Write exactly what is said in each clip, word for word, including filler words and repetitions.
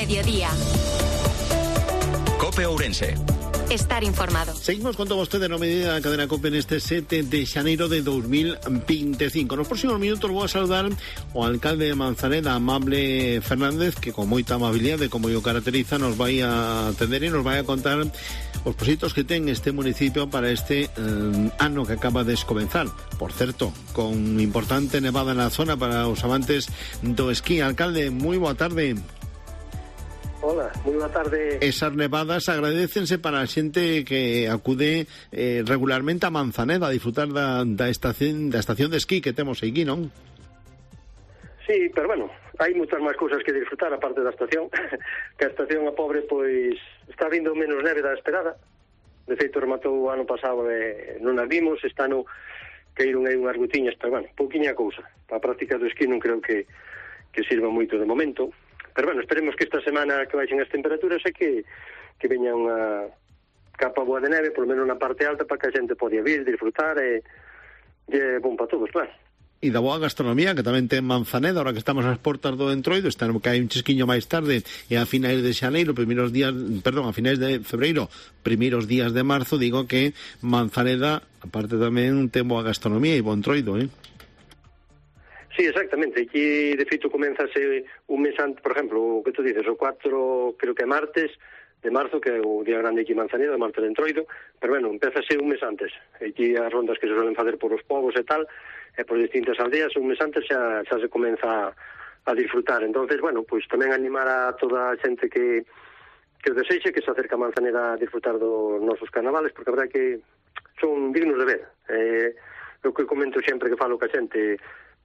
mediodía. COPE Ourense. Estar informado. Seguimos con todo vostede no medida da cadena COPE neste sete de xaneiro de dos mil veinticinco. Nos próximos minutos vou a saludar o alcalde de Manzaneda, Amable Fernández, que con moita amabilidade, como o caracteriza, nos vai a atender e nos vai a contar os proxectos que ten este municipio para este eh, ano que acaba de comenzar. Por certo, con importante nevada na zona para os amantes do esquí. Alcalde, moi boa tarde. Hola, moi boa tarde. Esas nevadas agradécense para a xente que acude eh, regularmente a Manzaneda a disfrutar da, da, estación, da estación de esquí que temos aquí, non? Sí, pero bueno, hai moitas máis cousas que disfrutar aparte da estación. Que a estación a pobre, pois, está vindo menos neve da esperada. De feito, rematou o ano pasado e non as vimos. Este ano caíron aí unhas gotiñas, pero bueno, pouquiña cousa. A práctica do esquí non creo que, que sirva moito de momento. Pero bueno, esperemos que esta semana que baixen as temperaturas e que, que veña unha capa boa de neve, polo menos na parte alta, para que a xente podia vir, disfrutar e, e é bon para todos, claro. E da boa gastronomía, que tamén ten Manzaneda, ahora que estamos ás portas do Entroido, está que hai un chisquiño máis tarde, e a finais de xaneiro, primeiros días, perdón, a finais de febreiro, primeiros días de marzo, digo que Manzaneda, aparte tamén, ten boa gastronomía e bo Entroido, eh? Sí, exactamente. Aquí, de feito, comenzase un mes antes, por exemplo, o que tú dices, o cuatro, creo que é martes de marzo, que é o día grande aquí en Manzaneda, martes de Entroido, pero bueno, empezase un mes antes. Aquí as rondas que se suelen facer por os povos e tal, e por distintas aldeas, un mes antes xa, xa se comeza a, a disfrutar. Entonces, bueno, pues tamén animar a toda a xente que, que o desexe, que se acerca a Manzaneda a disfrutar dos nosos carnavales, porque a verdade que son dignos de ver. Eh, o que comento sempre que falo ca xente,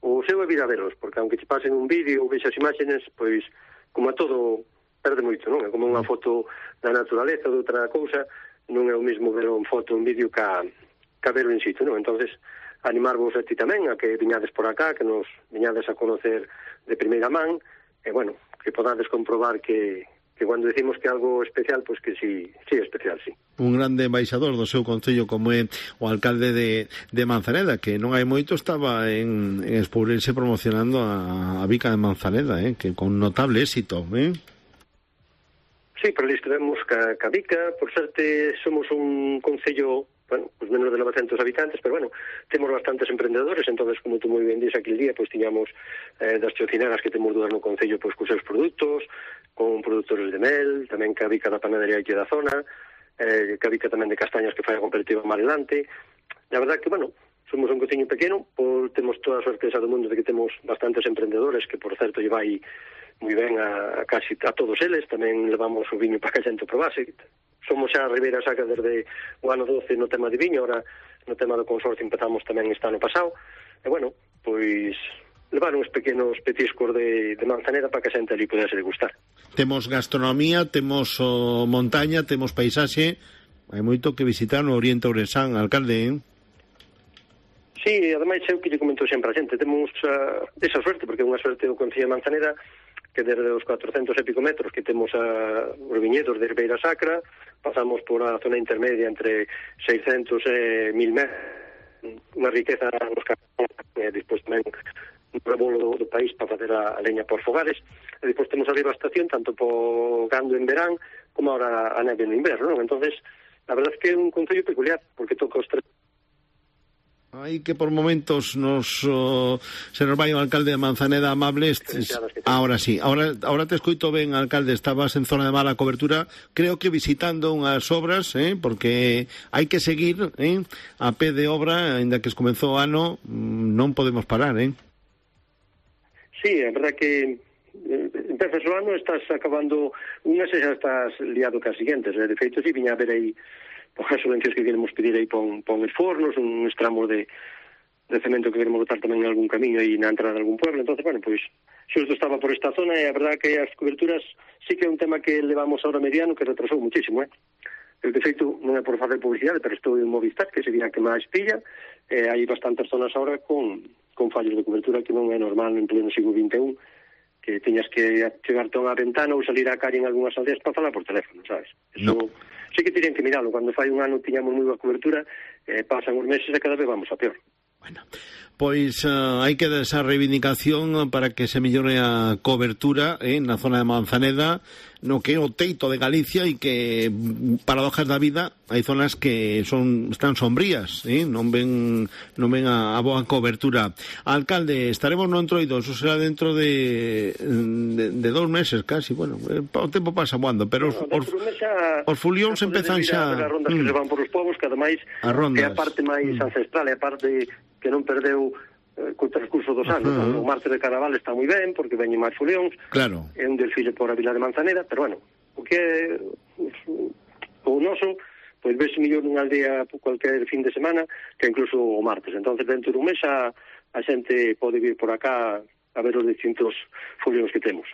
o seu é vir a veros, porque aunque te pasen un vídeo ou vexas imágenes, pois, como a todo, perde moito, non? É como unha foto da naturaleza ou de outra cousa, non é o mesmo ver un foto, un vídeo ca, ca ver in situ, non? Entonces, animarvos a ti tamén, a que viñades por acá, que nos viñades a conocer de primeira man, e, bueno, que podades comprobar que, que cando decimos que algo especial, pois que sí, sí é especial, sí. Un grande embaixador do seu concello como é o alcalde de, de Manzaneda, que non hai moito estaba en, en Espourense promocionando a, a bica de Manzaneda, eh, que con notable éxito, eh? Sí, pero ali estivemos ca, ca bica, por suerte somos un concello, bueno, pues menos de novecentos habitantes, pero bueno, temos bastantes emprendedores, entonces, como tú moi ben dís aquel día, pois tiñamos eh, das chocineras que temos dúas no concello, pois cos seus produtos, con produtores de mel, tamén ca bica da panadería aquí da zona, eh, que bica tamén de castañas que fai a cooperativa Marelante. La verdad que, bueno, somos un cociño pequeno, por, temos toda a sorpresa do mundo de que temos bastantes emprendedores, que por certo lle vai moi ben a, a casi a todos eles, tamén levamos o viño para que a xente probase. Somos xa a Ribeira Sacra desde o ano doce no tema de viño, ahora no tema do consorcio empezamos tamén este ano pasado, e bueno, pois levar uns pequenos petiscos de, de Manzaneda para que a xente ali pudese degustar. Temos gastronomía, temos oh, montaña, temos paisaxe, hai moito que visitar no Oriente Ourensán, alcalde, eh? Sí, ademais é o que lle comento sempre a xente, temos uh, esa suerte, porque é unha suerte do Concello de Manzaneda, que desde os cuatrocentos e pico metros que temos a, os viñedos de Ribeira Sacra, pasamos por a zona intermedia entre seiscentos e mil metros, unha riqueza nos campos, e despois tamén un rebolo do, do país para facer a, a leña por fogares, e despois temos a devastación tanto por gando en verán como ahora a neve no inverno, non? Entonces, a verdade é que é un concello peculiar, porque toca os tres. Aí que por momentos nos oh, se nos vai o alcalde de Manzaneda, Amable. Ahora sí, ahora, ahora te escoito ben, alcalde, estabas en zona de mala cobertura, creo que visitando unhas obras, eh, porque hai que seguir eh, a pé de obra, ainda que comezou o ano, non podemos parar, eh? Sí, é verdad que empezas o ano, estás acabando unhas e xa estás liado cas siguientes, de feito, si viña a ver aí por as subvencións que queremos pedir aí pon, pon os fornos, un tramos de, de cemento que queremos botar tamén en algún camiño aí na entrada de algún pueblo. Entonces, bueno, pois, xusto estaba por esta zona e a verdad que as coberturas sí que é un tema que levamos ahora mediano que retrasou muchísimo, eh? El de feito non é por facer publicidade, pero estou en Movistar, que sería a que máis pilla, e hai bastantes zonas ahora con, con fallos de cobertura que non é normal en pleno siglo vinte e un, que teñas que chegarte a unha ventana ou salir á calle en algunhas aldeas para falar por teléfono, sabes? Eso no. Sí que tienen que miralo. Cando fai un ano tiñamos moi boa cobertura, eh, pasan os meses e cada vez vamos a peor. Bueno, Pois uh, hai que dar esa reivindicación para que se mellore a cobertura eh, na zona de Manzaneda, no que é o teito de Galicia, e que, paradojas da vida, hai zonas que son están sombrías, eh? non ven non ven a, a boa cobertura. Alcalde, estaremos no Entroido, eso será dentro de, de, de dos meses casi, bueno, o tempo pasa voando, pero os, os, os fulións empezan xa... As rondas mm. que se van por os povos, que ademais é a parte máis mm. ancestral, é a parte que non perdeu eh, co transcurso dos anos. Uh-huh. O martes de Carnaval está moi ben, porque veñen máis fulións, claro. É un desfile por a Vila de Manzaneda, pero bueno, o que é o noso, pois ves mellor nunha aldea cualquier fin de semana que incluso o martes. Entonces dentro dun mes a, a xente pode vir por acá a ver os distintos fulións que temos.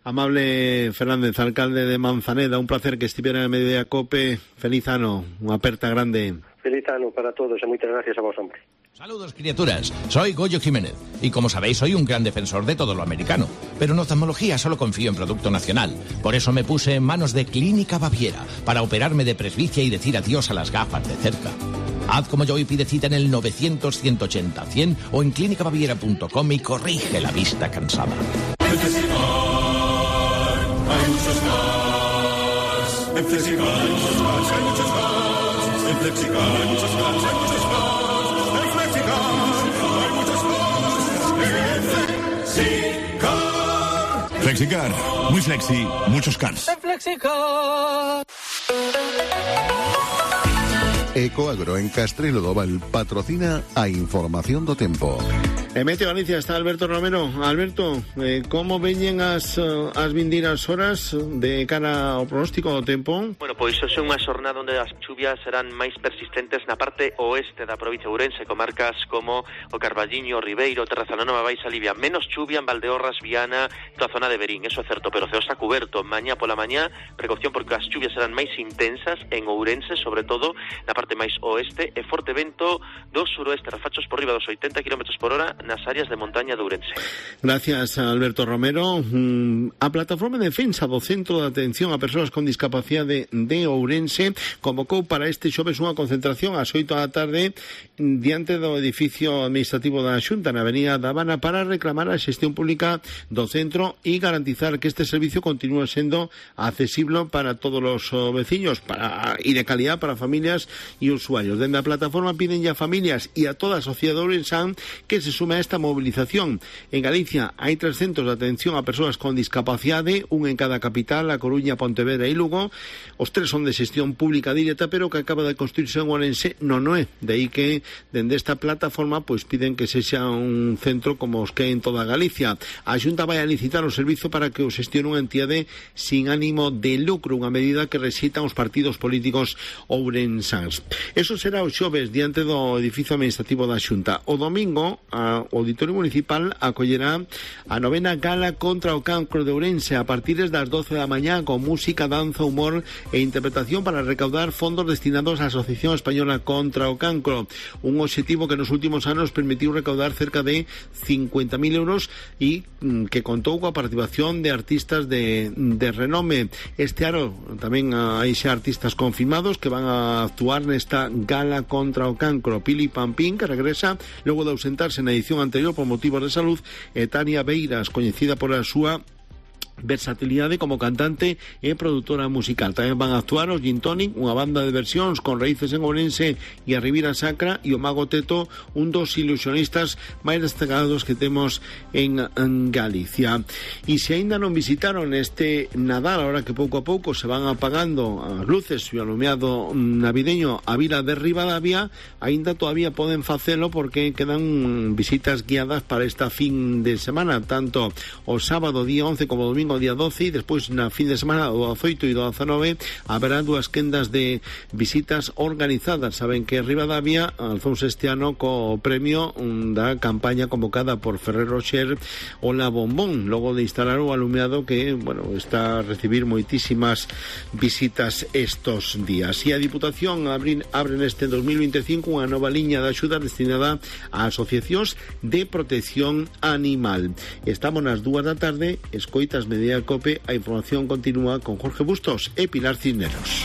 Amable Fernández, alcalde de Manzaneda, un placer que estiveran en Mediodía Cope. Feliz ano, unha aperta grande. Feliz ano para todos e moitas gracias a vos, hombre. Saludos, criaturas. Soy Goyo Jiménez y, como sabéis, soy un gran defensor de todo lo americano. Pero en oftalmología solo confío en producto nacional. Por eso me puse en manos de Clínica Baviera para operarme de presbicia y decir adiós a las gafas de cerca. Haz como yo y pide cita en el novecientos, ciento ochenta, cien o en clínica baviera punto com y corrige la vista cansada. En Flexicar hay muchos más. En Flexicar hay muchos más, hay muchos más. En Flexicar hay muchos más, hay muchos más. Flexicar, muy flexi, muchos cars. Flexicar. Ecoagro en Castrelo do Val patrocina a información do tempo. En Meteo Galicia está Alberto Romero. Alberto, eh, como veñen as, as vindeiras horas de cara ao pronóstico do tempo? Bueno, pois hoxe é unha xornada onde as chuvias serán máis persistentes na parte oeste da provincia de Ourense, comarcas como o Carballiño, Ribeiro, Terrazanova, Baixa Livia. Menos chuvia en Valdeorras, Viana, toda a zona de Berín, eso é certo, pero o ceo está cuberto. Mañá pola mañá, precaución porque as chuvias serán máis intensas en Ourense, sobre todo na parte máis oeste, e forte vento do suroeste, rafachos por riba dos oitenta kilómetros por hora nas áreas de montaña de Ourense. Gracias, Alberto Romero. A Plataforma de Defensa do Centro de Atención a Persoas con Discapacidade de Ourense convocou para este xoves unha concentración ás oito da tarde diante do edificio administrativo da Xunta na Avenida da Habana para reclamar a xestión pública do centro e garantizar que este servicio continúe sendo accesible para todos os veciños para, e de calidad para familias e usuarios. Dende a plataforma piden ya a familias e a toda a sociedade ourensán que se sume a esta movilización. En Galicia hai tres centros de atención a persoas con discapacidade, un en cada capital, a Coruña, Pontevedra e Lugo. Os tres son de xestión pública directa, pero que acaba de construirse en Ourense non é. De aí que, dende esta plataforma, pois piden que sexa un centro como os que hai en toda Galicia. A Xunta vai a licitar o servizo para que o xestione unha entidade sin ánimo de lucro, unha medida que rexeitan os partidos políticos ourensáns. Eso será o xoves diante do edificio administrativo da Xunta. O domingo, a o Auditorio Municipal acollerá a novena gala contra o cancro de Ourense a partir das doce da mañá con música, danza, humor e interpretación para recaudar fondos destinados á Asociación Española contra o Cancro, un obxectivo que nos últimos anos permitiu recaudar cerca de cincuenta mil euros e que contou coa participación de artistas de, de renome. Este ano tamén hai xa artistas confirmados que van a actuar nesta gala contra o cancro. Pili Pampín, que regresa logo de ausentarse na edición anterior por motivos de salud, e Tania Beiras, coñecida por a súa versatilidade como cantante e produtora musical. Tamén van a actuar os Gin Tonic, unha banda de versións con raíces en Ourense e a Ribeira Sacra, e o Mago Teto, un dos ilusionistas máis destacados que temos en, en Galicia. E se aínda non visitaron este Nadal, ahora que pouco a pouco se van apagando as luces e o alumeado navideño a Vila de Ribadavia, aínda todavía poden facelo porque quedan visitas guiadas para esta fin de semana, tanto o sábado día once como o domingo día doce, e despois na fin de semana do dezaoito e do dezanove haberá dúas quendas de visitas organizadas. Saben que Ribadavia alzouse este ano co premio da campaña convocada por Ferrer Rocher Ola Bombón, logo de instalar o alumeado que, bueno, está a recibir moitísimas visitas estos días. E a Diputación abre, abre neste dos mil veinticinco unha nova liña de axuda destinada a asociacións de protección animal. Estamos nas dúas da tarde, escoitas Mediodía Cope, a información continúa con Jorge Bustos e Pilar Cisneros.